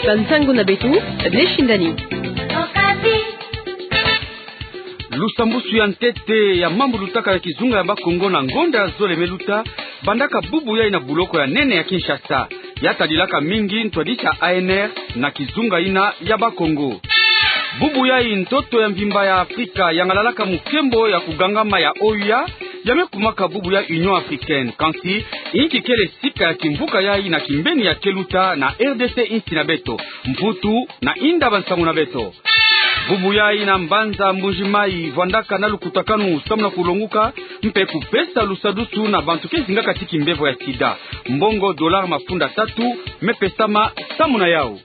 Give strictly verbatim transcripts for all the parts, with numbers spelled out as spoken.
Bansangu na beto, Blessing Dani. Lusambusu ya ntete ya mambu lutaka na kizunga ya Bakongo na ngonda ya zole me luta, bandaka bubu yai na buloko ya nene ya Kinshasa. Ya tadilaka mingi ntwadisi ya A N R na kizunga yina ya Bakongo. Bubu yai, ntoto ya mvimba ya Afrika yangalalaka mukembo ya kugangama ya O U A, ya me kumaka bubu ya Union Africaine. Kansi, inki kele sika ya kimvuka yai na kimbeni ya ke luta na R D C, insi na beto? Mputu na inda bansangu na beto. Bubu yai na mbanza Mbuji Mayi vwandaka na lukutakanu samu na kulonguka mpe kupesa lusadusu na bantu ke zingaka ti kimbevo ya sida. Mbongo dollar mafunda tatu me pesama samu na yau.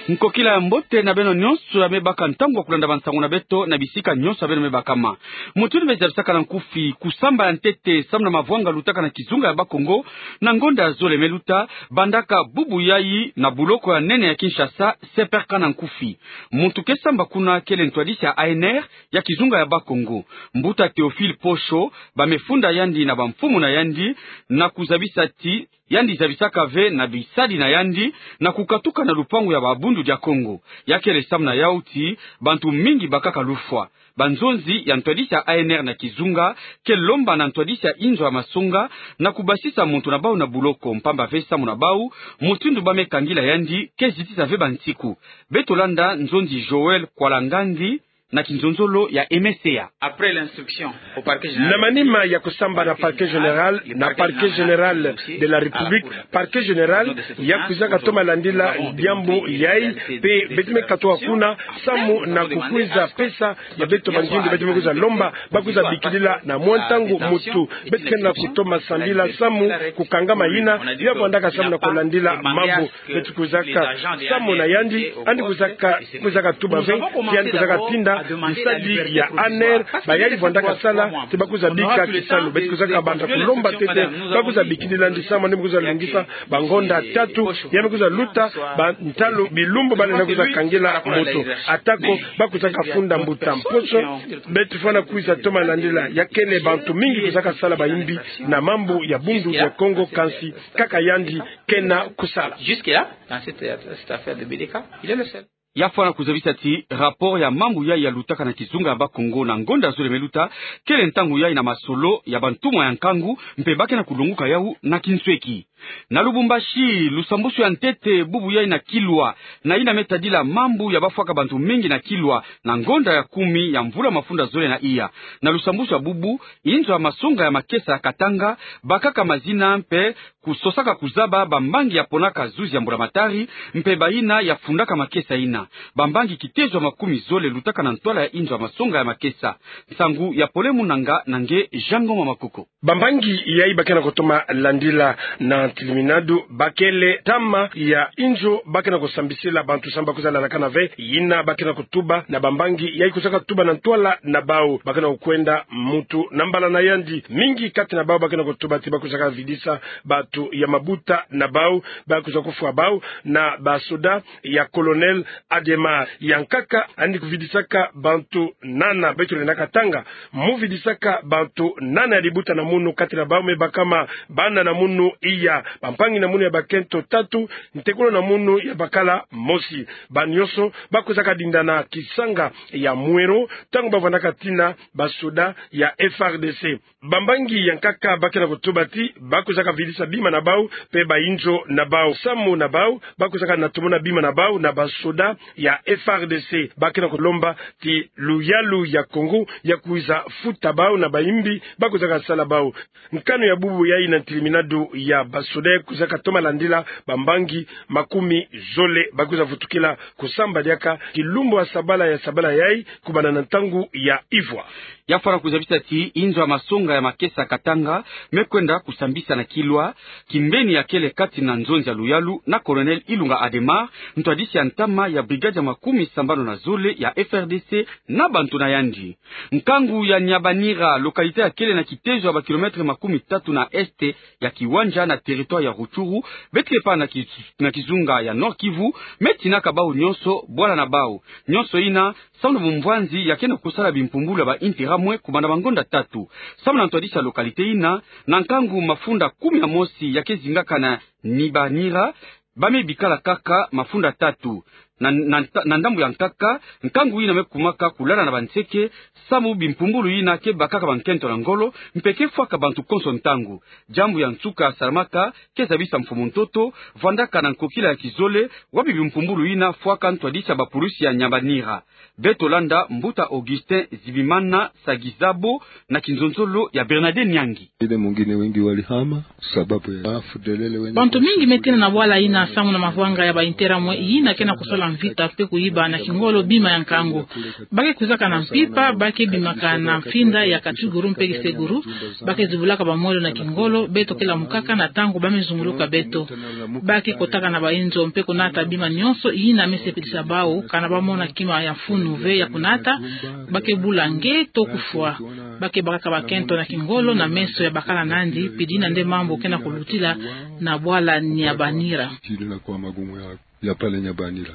Nkokila ya mbote na beno nyonso ya me baka ntangu ya kulanda bansangu na beto na bisika nyonso ya beno me bakama. Mutindu me zabisaka na nkufi, kusamba ya ntete samu na mavwanga lutaka na kizunga ya Bakongo na ngonda ya zole me luta, bandaka bubu yai na buloko ya nene ya Kinshasa, C P R K na nkufi. Muntu ke samba kuna kele ntwadisi ya A N R ya kizunga ya Bakongo, Mbuta Théophile Posho. Ba me funda yandi na bamfumu na yandi, na kuzabisa ti yandi zabisaka ve na bisadi na yandi na kukatuka na lupangu ya Babundu dia Kongo. Ya kele samu na yau ti bantu mingi bakaka lufwa. Banzonzi ya ntwadisi ya A N R na kizunga ke lomba na ntwadisi ya inzo ya masonga na kubasisa muntu na bau na buloko, mpamba ve samu na bau, mutindu ba me kangila yandi ke zitisa ve bansiku. Beto landa nzonzi Joël Kwalangandi na kinzonzolo ya Aimé Seya. Après l'instruction au parquet général. Na manima ya kusamba na parquet général na parquet général de la République, parquet général ya kwizaka toma landila diambu yai, mpe beto me katuka kuna samu na kukwiza pesa ya beto bangindu beto me kwiza lomba, ba kwiza bikilila na mwa ntangu muntu beto ke na kutoma sambila samu kukangama yina ya vwandaka samu na kulandila mambu. Beto kwizaka samu na yandi, yandi kwizaka, kwizaka tuba ve ti yandi kwizaka tinda bisadi ya A N R, bayai vwandaka sala, ti ba kwiza bika kisalu. Beto kwizaka banda kulomba ntete ba kwiza bikilila yandi samu yandi me kwiza lungisa bangonda tatu, ya me kwiza luta ba ntalu bilumbu ba lenda kwiza kangila muntu. Atako ba kwizaka funda Mbuta Posho, beto fwana kwiza toma landila, ya kele bantu mingi kwizaka sala bayimbi na mambu ya Bundu dia Kongo, kansi kaka yandi ke na kusala. Jusque-là, dans cette, cette affaire de B D K, il est le seul. Ya fwana kuzabisa ti rapport ya mambu yai ya lutaka na kizunga ya Bakongo na ngonda zole me luta, kele ntangu yai na masolo ya bantumwa ya nkangu, mpe ba ke na kulonguka yau na kinsweki. Na Lubumbashi, lusambusu ya ntete bubu yai na Kilwa, na yina me tadila mambu ya bafwaka bantu mingi na Kilwa na ngonda ya kumi ya mvula mafunda zole na iya. Na lusambusu ya bubu, inzo ya masonga ya makesa ya Katanga bakaka mazina mpe kusosaka kuzaba bambangi ya ponaka zuzi ya mbulamatari mpe bayina ya fundaka makesa yina. Bambangi kitezo ya makumi zole lutaka na ntwala ya inzo ya masonga ya makesa. Nsangu ya Pole Munanga na nge Jean Ngoma Makoko. Bambangi yai ba ke na kutoma landila na ntiliminadu, ba kele ntama ya inzo ba ke na kusambisila bantu samu ba kwiza lalakana ve yina ba ke na kutuba na bambangi yai kwizaka tuba na ntwala na bau. Ba ke na kukwenda muntu na mbala na yandi. Mingi kati na bau ba ke na kutuba ti ba kwizaka vidisa bantu ya mabuta na bau, ba kwiza kufwa bau na basoda ya Colonel Ademar. Ya nkaka, yandi kuvidisaka bantu nana, beto lenda katanga, mu vidisaka bantu nana ya libuta na munu kati na bau me bakama bana na munu iya, bampangi na munu ya bakento tatu, ntekolo na munu ya bakala mosi. Ba nyonso ba kwizaka dinda na kisanga ya Mwero ntangu ba vwandaka tina basoda ya F R D C. Bambangi ya nkaka ba ke na kutuba ti ba kwizaka vidisa bima na bau mpe bainzo na bau. Samu na bau, ba kwizaka na tomona bima na bau na basoda ya F R D C. Ba ke na kulomba ti luyalu ya Kongo ya kwiza futa bau na bayimbi ba kwizaka sala bau. Nkanu ya bubu yai na ntiliminadu ya basoda kwizaka toma landila bambangi makumi zole ba kwiza vutukila kusamba diaka kilumbu ya sabala ya sabala yai, kubanda na ntangu ya ivwa. Ya fwana kuzabisa ti inzo ya masonga ya makesa Katanga me kwenda kusambisa na Kilwa, kimbeni ya kele kati na nzonzi ya luyalu na Colonel Ilunga Ademar, ntwadisi ya ntama ya brigade ya makumi sambanu na zole ya F R D C, na bantu na yandi. Nkangu ya Nyabanira, localité ya kele na kitezo ya ba kilomètre makumi tatu na est ya Kiwanja na territoire ya Rutshuru, beto ke pa na ki-, na kizunga ya Nord-Kivu, me tinaka bau nyonso bwala na bau. Nyonso yina samu na bumvwanzi ya ke na kusala bimpumbulu ya ba intérêt mwe kubanda bangonda tatu. Samu na ntwadisi ya localité yina, na nkangu mafunda kumi na mosi ya ke zingaka na Nyabanira, ba me bikala kaka mafunda tatu. Na, na, na ndambu ya nkaka, nkangu yina me kumaka kulala na banseke, samu bimpumbulu yina ke bakaka bankento na ngolo, mpe ke fwaka bantu konso ntangu. Diambu ya nsuka salamaka, ke zabisa mfumu ntoto, vwandaka na nkokila ya kizole, wapi bimpumbulu yina fwaka ntwadisi ya bapulusi ya Nyabani. Beto landa mbuta Augustin Zibimana Sagizabo na kinzonzolo ya Bernadette Nyangi. Ile mwingine wengi walihama sababu ya afu delele wengi. Bantu mingi me tena na bwala yina samu na mavwanga ya ba intérêt mwe yina ke na kusala mvita mpe kuyiba na kingolo bima ya nkangu. Ba ke kwizaka na mpimpa, ba ke bimaka na mfinda ya katuguru mpe kiseguru, ba ke zibulaka bamwelo na kingolo, beto ke lamukaka na ntangu ba me zunguluka beto. Ba ke kotaka na bainzo mpe kunata bima nyonso yina me sepelisa bawu, kana ba mona kima ya mfunu ve ya kunata, ba ke bula nge to kufwa. Ba ke bakaka bakento na kingolo na meso ya bakala nandi, pidi na nde mambu ke na kulutila na bwala Nyabani. Tili na kwa magumu ya, ya pale Nyabani.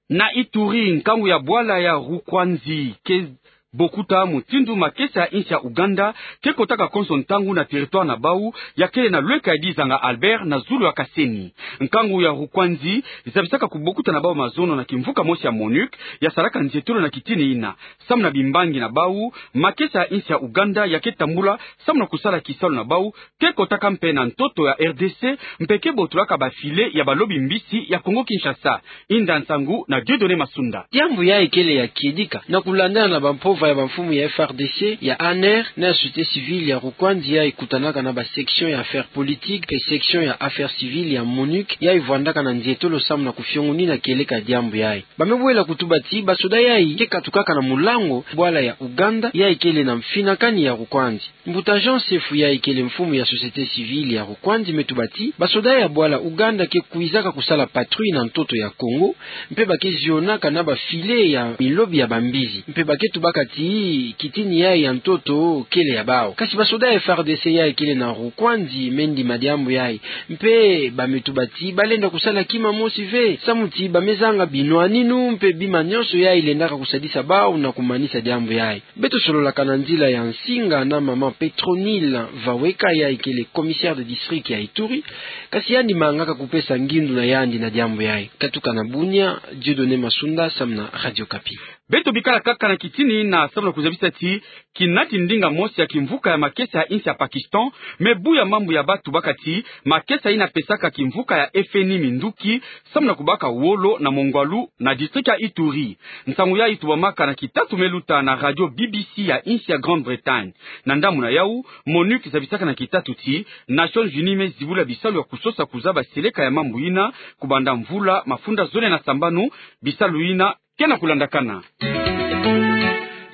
Na Ituri, nkangu ya bwala ya Rukwanzi ke bokuta mutindu makesa ya insi ya Uganda ke kotaka konso ntangu na territoire na bawu, ya kele na lweka ya Dizanga Albert na zulu ya Kaseni. Nkangu ya Rukwanzi zabisaka kubokuta na bawu mazono na kimvuka mosi ya MONUC, ya salaka nzietolo na kitini yina. Samu na bimbangi na bawu, makesa ya insi ya Uganda ya ke tambula samu na kusala kisalu na bawu, ke kotaka mpe na ntoto ya R D C, mpe ke botolaka ba filet ya balobi mbisi ya Kongo Kinshasa. Inda nsangu na Dieudonné Masunda. Diambu yayi kele ya kiedika, na kulandana na bampova ya bamfumu ya F R D C, ya A N R, na ya société civile ya Rukwanzi yayi kutanaka na ba section ya affaires politiques mpe section ya affaires civiles ya MONUC, yayi vwandaka na nzietolo samu na kufiongonina kieleka diambu yayi. Ba me bwela kutuba ti basoda yayi ke katukaka na mulango bwala ya Uganda yayi kele na mfinakani ya Rukwanzi. Mbuta Jean Sefu yayi kele mfumu ya société civile ya Rukwanzi me tuba ti basoda ya bwala Uganda ke kwizaka kusala patrouille na ntoto ya Kongo, mpe ba ke zionaka na ba filet ya milobi ya bambisi, mpe ba ke tubaka ti kitini yayi ya ntoto kele ya bawu. Kasi basoda ya F R D C yayi kele na Rukwanzi me ndima diambu yayi, mpe ba me tuba ti ba lenda kusala kima mosi ve, samu ti ba me zanga binwaninu mpe bima nyonso yayi lendaka kusadisa bawu na kumanisa diambu yayi. Beto sololaka na nzila ya nsinga na mama Petronile Vaweka, yayi kele commissaire de district ya Ituri, kasi yandi mangaka kupesa ngindu na yandi na diambu yayi. Katuka na Bunia, Dieudonné Masunda, samu na Radio Okapi. Beto bikala kaka na kitini yina samu na kuzabisa ti kinati ndinga mosi ya kimvuka ya makesa ya insi ya Pakistan me buya mambu ya bawu tubaka ti makesa yina pesaka kimvuka ya F N I minduki samu na kubaka wolo na mongwalu na district ya Ituri. Nsangu yayi tubamaka na kitatu me luta na radio B B C ya insi ya Grande-Bretagne. Na ndambu na yawu, MONUC zabisaka na kitatu ti Nations Unies me zibula bisalu ya kusosa kuzaba seleka ya mambu yina kubanda mvula mafunda zole na sambanu, bisalu yina ke na kulandakana.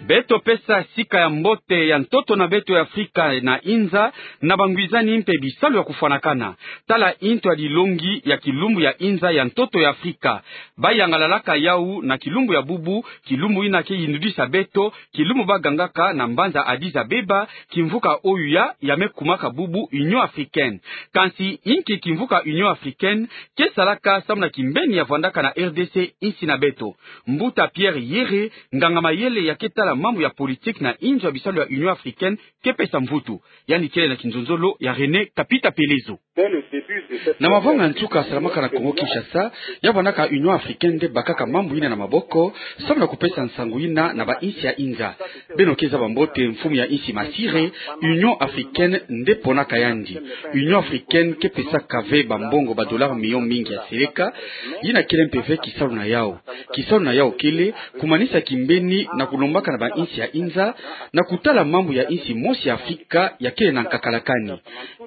Beto pesa sika ya mbote ya ntoto na beto ya Afrika na inza na bangwizani mpe bisalu ya kufwanakana. Tala into ya dilongi ya kilumbu ya inza ya ntoto ya Afrika. Ba yangalalaka yawu na kilumbu ya bubu, kilumbu yina ke yindudisa beto kilumbu ba gangaka na mbanza Addis Abeba kimvuka oyu ya, ya me kumaka bubu Union Africaine. Kansi inki kimvuka Union Africaine ke salaka samu na kimbeni ya vwandaka na R D C, insi na beto? Mbuta Pierre Yere, nganga mayele ya ke tala mambu ya politique na inzo ya bisalu ya Union Africaine, ke pesa mvutu. Yandi kele na kinzonzolo ya René Kapita Pelezo. Na mavanga nsuka salamaka na Kongo Kinshasa, ya vwandaka Union Africaine nde bakaka mambu yina na maboko, samu na kupesa nsangu yina na ba insi ya inza. Beno ke zaba mbote mfumu ya insi Masire, Union Africaine nde ponaka yandi. Union Africaine ke pesaka ve bambongo ba dollars millions mingi ya seleka, yina kele mpe ve kisalu na yawu. Kisalu na yawu kele kumanisa kimbeni na kulombaka na ba insi ya inza, na kutala mambu ya insi mosi ya Afrika ya kele na nkakalakani.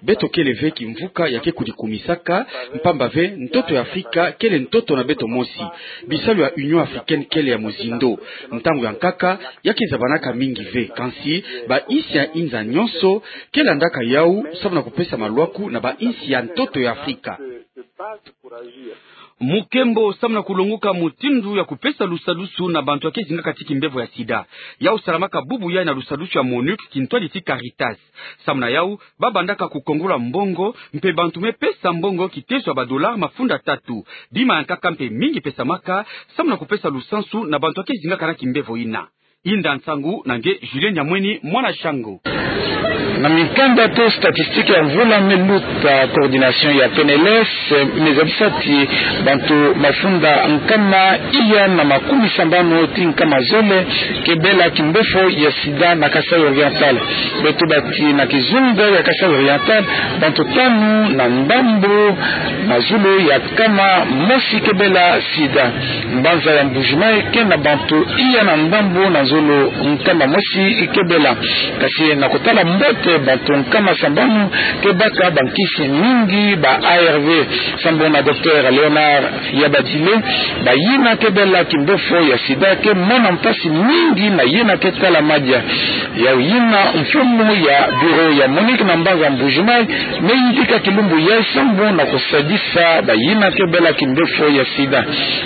Beto kele ve kimvuka ya ke kudikumisaka, mpamba ve ntoto ya Afrika kele ntoto na beto mosi. Bisalu ya Union Africaine kele ya mozindo. Ntangu ya nkaka, ya ke zabanaka mingi ve, kansi ba insi ya inza nyonso ke landaka yawu samu na kupesa malwaku na ba insi ya ntoto ya Afrika. Mukembo samu na kulonguka mutindu ya kupesa lusadusu na bantu ya ke zingaka ti kimbevo ya sida. Yawu salamaka bubu yayi na lusadusu ya MONUC kintwadi ti Caritas. Samu na yawu, ba bandaka kukongola mbongo, mpe bantu me pesa mbongo kiteso ya ba dollars mafunda tatu. Bima ya nkaka mpe mingi pesamaka, samu na kupesa lusansu na bantu ya ke zingaka na kimbevo yina. Inda nsangu na nge Julien Nyamweni, mwana Shango. Mikanda to statistique ya mvula me luta, coordination ya P N L S, me zabisa ti bantu mafunda nkama iya na makumi sambanu ti nkama zole ke bela kimbefo ya sida na Kasaï Oriental. Beto bati na kizunga ya Kasaï Oriental, bantu tanu na ndambu na zulu ya nkama mosi ke bela sida. Mbanza ya Mbuji-Mayi ke na bantu iya na ndambu na zulu nkama mosi ke bela. Kasi na kotala mbote, bantu nkama sambanu ke baka bankisi mingi, ba A R V. Sambu na Docteur Léonard Yabadile, bayina ke bela kimbefo ya sida ke mona mpasi mingi na yina ke tala madia. Yau yina mfumu ya bureau ya Monique na mbanza Mbuji-Mayi, me yidika kilumbu yayi sambu na kusadisa bayina ke bela kimbefo ya sida.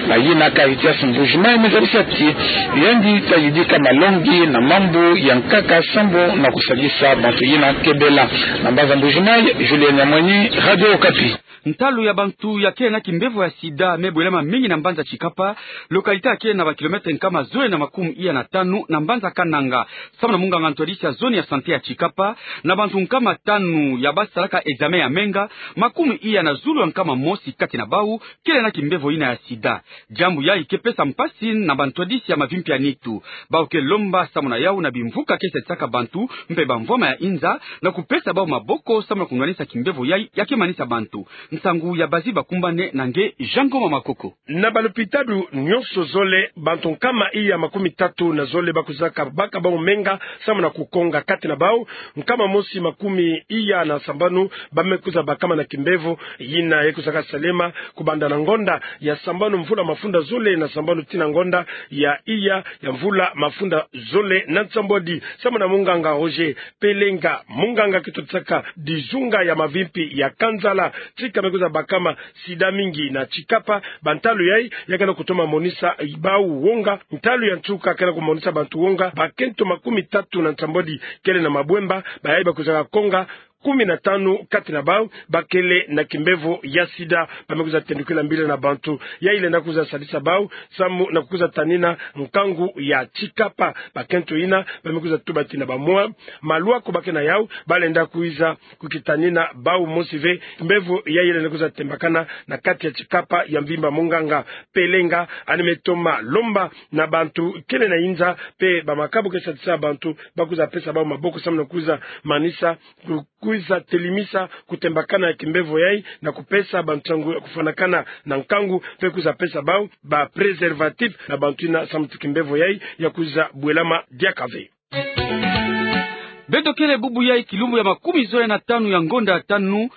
Bayina Caritas Mbuji-Mayi me zabisa ti yandi ta yidika malongi na mambu ya nkaka sambu na kusadisa bantu yina ke bela. Na mbanza Mbuji-Mayi, Julien Nyamwenyi, Radio Okapi. Ntalu ya bantu ya kele na kimbefo ya sida me bwelama mingi na mbanza Tshikapa, localité ya kele na ba kilomètre nkama zole na makumi iya na tanu na mbanza Kananga. Sambu na munganga ntwadisi ya zone ya santé ya Tshikapa, na bantu nkama tanu ya basalaka examen ya menga, makumi iya na zulu ya nkama mosi kati na bau kele na kimbefo yina ya sida. Diambu yayi ke pesa mpasi na bantwadisi ya mavimpi ya nitu. Bau ke lomba sambu na yau na bimvuka ke sadisaka bantu mpe bamvwama ya inza na kupesa bau maboko sambu na kunwanisa kimbefo yayi ya ke manisa bantu. Nsangu ya bazi bakumbane na nge Jean Ngoma Makoko. Na balopitalo nyonso zole, bantu nkama iya makumi tatu na zole bakwizaka baka bau menga sambu na kukonga. Kati na bau, nkama mosi makumi iya na sambanu ba me kwiza bakama na kimbefo yina ya kwizaka salema kubanda na ngonda ya sambanu mvula mafunda zole na sambanu tii na ngonda ya iya ya mvula mafunda zole na nsambwadi. Sambu na munganga Roger Pelenga, munganga ke twadisaka dizunga ya mavimpi ya Kanzala, tika me kwiza bakama sida mingi na Tshikapa, bantalu yayi ya ke na kutoma monisa bau wonga. Ntalu ya nsuka ke na kumonisa bantu wonga, bakento makumi tatu na nsambwadi kele na mabwemba, bayayi bakwizaka konga, kumi na tanu kati na bau ba kele na kimbefo ya sida. Ba me kwiza tendukila mbila na bantu yayi lenda kwiza sadisa bau sambu na kukwiza tanina nkangu ya Tshikapa. Bakento yina ba me kwiza tuba ti na bamwa malwaku ba ke na yau, ba lenda kwiza kukitanina bau mosi ve kimbefo yayi lenda kwiza tembakana na kati ya Tshikapa ya mvimba. Munganga Pelenga yandi me toma lomba na bantu kele na inza mpe bamakabu ke sadisa bantu ba kwiza pesa bau maboko sambu na kwiza manisa, ku-, kwiza telimisa kutembakana ya kimbefo yayi na kupesa bantu nsangu ya kufwanakana na nkangu mpe kwiza pesa bau ba préservatif na bantu yina sambu ti kimbefo yayi ya kwiza bwelama diaka ve. Beto kele bubu yayi kilumbu ya makumi zole na tanu ya ngonda ya tanu,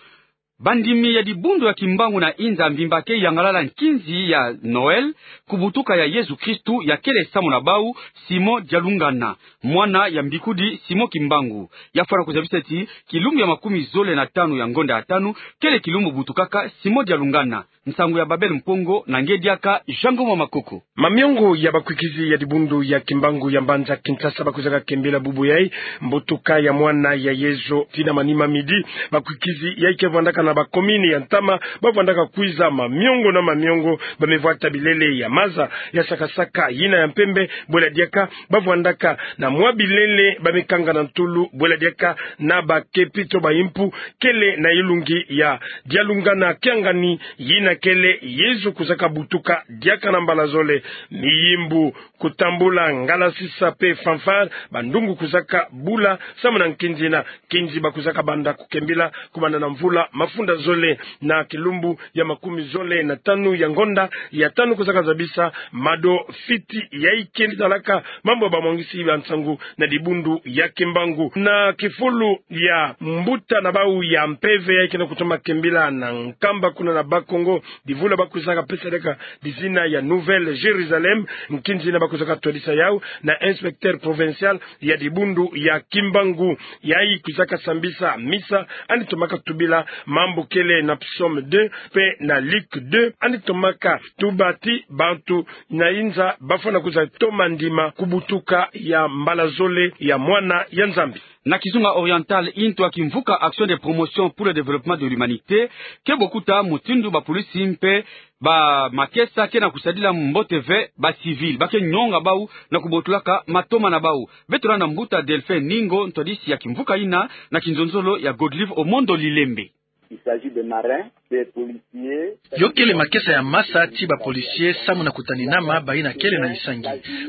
bandimi ya dibundu ya Kimbangu na inza mvimba ke yangalala nkinzi ya Noël, kubutuka ya Yezu Kristu, ya kele sambu na bau Simon Dialungana, mwana ya mbikudi Simon Kimbangu. Ya fwana kuzabisa ti kilumbu ya makumi zole na tanu ya ngonda ya tanu kele kilumbu butukaka Simon Dialungana. Nsangu ya Babel Mpongo na nge diaka Jean Ngoma Makoko. Mamiongo ya bakwikizi ya dibundu ya Kimbangu ya mbanza Kinshasa bakwizaka kembila bubu yayi mbutuka ya mwana ya Yezu tii na manima midi. Bakwikizi yayi ke vwandaka na bakomini ya ntama, ba vwandaka kwiza mamiongo na mamiongo, ba me vwata bilele ya maza ya saka-saka, yina ya mpembe, bwela diaka ba vwandaka na mwa bilele ba me kanga na ntulu, bwela diaka na bakepi to ba impu kele na ilungi ya Dialungana Kiangani, yina kele Yezu kwizaka butuka diaka na mbala zole. Miyimbu, kutambula, ngalasisa mpe fanfare, bandungu kwizaka bula samu na nkinzi yina. Nkinzi ba kwizaka banda kukembila kubanda na mvula mafunda zole na kilumbu ya makumi zole na tanu ya ngonda ya tanu kwizaka zabisa mado fiti ya ikendi talaka mambu ya bamwangisi ba nsangu na dibundu ya Kimbangu. Na kifulu ya mbuta na bau ya mpeve ya ikena kutoma kembila na Nkamba kuna na Bas-Congo, divula ba kwizaka pesa diaka dizina ya Nouvelle Jérusalem, nkinzi yina ba kwizaka twadisa yau na inspecteur provincial ya dibundu ya Kimbangu. Yayi kwizaka sambisa misa, yandi tomaka tubila mambu kele na Psaume deux mpe na Luc deux, yandi tomaka tuba ti bantu na inza ba fwana kwiza toma ndima kubutuka ya mbala zole ya mwana ya Nzambi. Na kizunga oriental, intu ya kimvuka Action de promotion pour le développement de l'humanité ke bokuta mutindu bapolisi mpe Bamakesa ke na kusadila mbote ve bacivil, ba ke nyonga bau na kubotulaka matoma na bau. Beto landa mbuta Delphin Ningo, ntwadisi ya kimvuka ina na kinzonzolo ya Godlive Omondo Lilembe. Il s'agit des marins, des policiers. Yo kele makesa ya masa ti bapolisie samu na kutaninama bayina kele na isangi.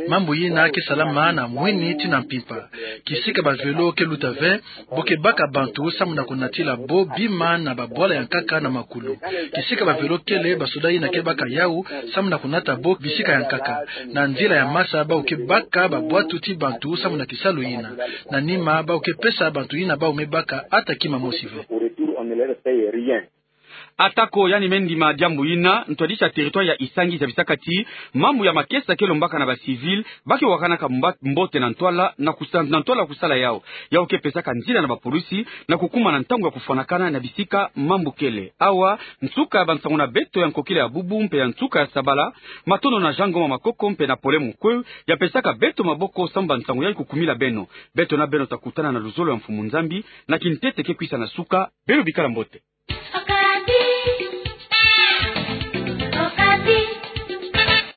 Mambu yina ke salama na mwini tii na mpimpa. Kisika bavelo ke luta ve, bo ke baka bantu samu na kunatila bo bima na babwala ya nkaka na makulu. Kisika bavelo kele, basoda yina ke baka yau samu na kunata bo bisika ya nkaka. Na nzila ya masa bau ke baka babwatu ti bantu samu na kisalu yina. Na nima bau ke pesa bantu yina bau me baka ata kima mosi ve. Au retour, on ne leur paye rien. Atako yandi me ndima diambu yina, ntwadisi ya territoire ya Isangi zabisaka ti mambu ya makesa ke lombaka na bacivil, ba ke wakanaka mba-, mbote na ntwala na kusa-, na ntwala kusala yau. Yau ke pesaka nzila na bapolisi na kukumana ntangu ya kufwanakana na bisika mambu kele. Awa nsuka ya bansangu na beto ya nkokila ya bubu mpe ya nsuka ya sabala. Matondo na Jean Ngoma Makoko mpe na Paulin Mukweu ya pesaka beto maboko samu bansangu yayi kukumila beno. Beto na beno ta kutana na luzolo ya Mfumu Nzambi na kintete ke kwisa na suka. Beno bikala mbote.